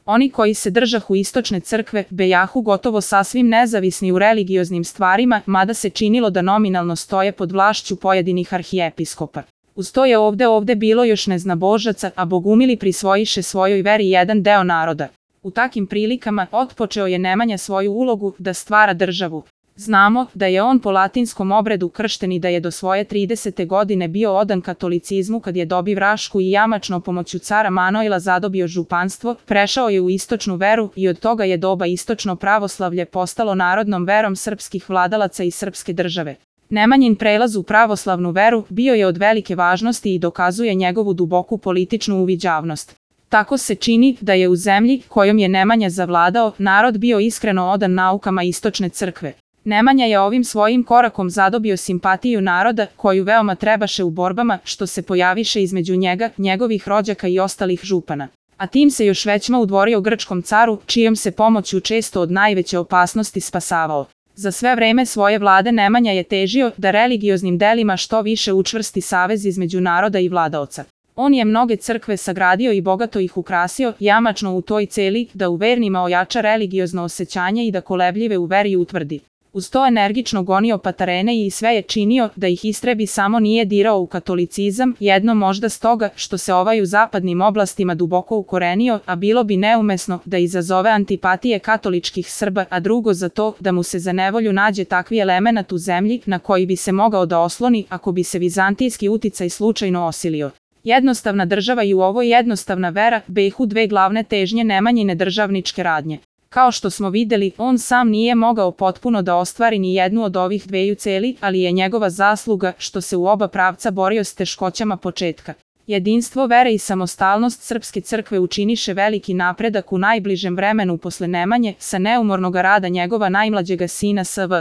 Oni koji se držahu istočne crkve bejahu gotovo sasvim nezavisni u religioznim stvarima, mada se činilo da nominalno stoje pod vlašću pojedinih arhijepiskopa. Uz to je ovde bilo još neznabožaca, a bogumili prisvojiše svojoj veri jedan deo naroda. U takim prilikama otpočeo je Nemanja svoju ulogu da stvara državu. Znamo da je on po latinskom obredu kršten i da je do svoje 30. godine bio odan katolicizmu kad je dobiv Rašku i jamačno pomoću cara Manojla zadobio županstvo, prešao je u istočnu veru i od toga je doba istočno pravoslavlje postalo narodnom verom srpskih vladalaca i srpske države. Nemanjin prelaz u pravoslavnu veru bio je od velike važnosti i dokazuje njegovu duboku političnu uviđavnost. Tako se čini da je u zemlji kojom je Nemanja zavladao, narod bio iskreno odan naukama istočne crkve. Nemanja je ovim svojim korakom zadobio simpatiju naroda, koju veoma trebaše u borbama što se pojaviše između njega, njegovih rođaka i ostalih župana. A tim se još većma udvorio grčkom caru, čijom se pomoću često od najveće opasnosti spasavao. Za sve vreme svoje vlade Nemanja je težio da religioznim delima što više učvrsti savez između naroda i vladaoca. On je mnoge crkve sagradio i bogato ih ukrasio, jamačno u toj celi da u vernima ojača religiozno osjećanje i da kolebljive u veri utvrdi. Uz to energično gonio patarene i sve je činio da ih istrebi, samo nije dirao u katolicizam, jedno možda stoga što se ovaj u zapadnim oblastima duboko ukorenio, a bilo bi neumesno da izazove antipatije katoličkih Srba, a drugo za to da mu se za nevolju nađe takvi elemenat u zemlji na koji bi se mogao da osloni ako bi se vizantijski uticaj slučajno osilio. Jednostavna država i u ovoj jednostavna vera behu dve glavne težnje Nemanjine državničke radnje. Kao što smo videli, on sam nije mogao potpuno da ostvari ni jednu od ovih dveju celi, ali je njegova zasluga što se u oba pravca borio s teškoćama početka. Jedinstvo vere i samostalnost srpske crkve učiniše veliki napredak u najbližem vremenu posle Nemanje sa neumornog rada njegova najmlađega sina Sv.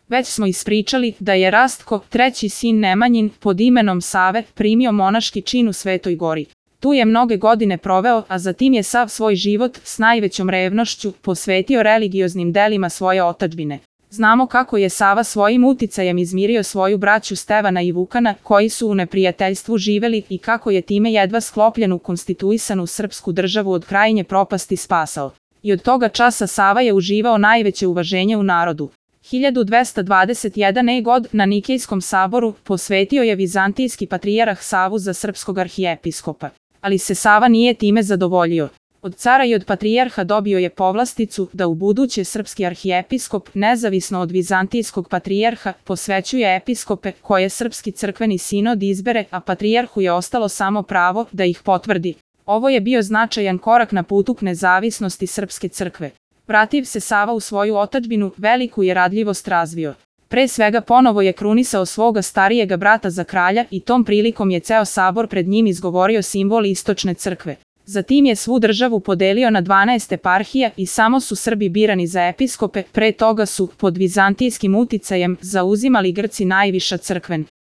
Već smo ispričali da je Rastko, treći sin Nemanjin, pod imenom Save, primio monaški čin u Svetoj Gori. Tu je mnoge godine proveo, a zatim je sav svoj život s najvećom revnošću posvetio religioznim delima svoje otadžbine. Znamo kako je Sava svojim uticajem izmirio svoju braću Stevana i Vukana, koji su u neprijateljstvu živeli, i kako je time jedva sklopljenu konstituisanu srpsku državu od krajnje propasti spasao. I od toga časa Sava je uživao najveće uvaženje u narodu. 1221. god na Nikejskom saboru posvetio je vizantijski patrijarh Savu za srpskog arhijepiskopa. Ali se Sava nije time zadovoljio. Od cara i od patrijarha dobio je povlasticu da u buduće srpski arhijepiskop, nezavisno od vizantijskog patrijarha, posvećuje episkope koje srpski crkveni sinod izbere, a patrijarhu je ostalo samo pravo da ih potvrdi. Ovo je bio značajan korak na putu k nezavisnosti srpske crkve. Vrativ se Sava u svoju otadžbinu, veliku je radljivost razvio. Pre svega ponovo je krunisao svoga starijega brata za kralja i tom prilikom je ceo sabor pred njim izgovorio simbol istočne crkve. Zatim je svu državu podelio na 12 eparhija i samo su Srbi birani za episkope, pre toga su, pod vizantijskim uticajem, zauzimali Grci najviša crkven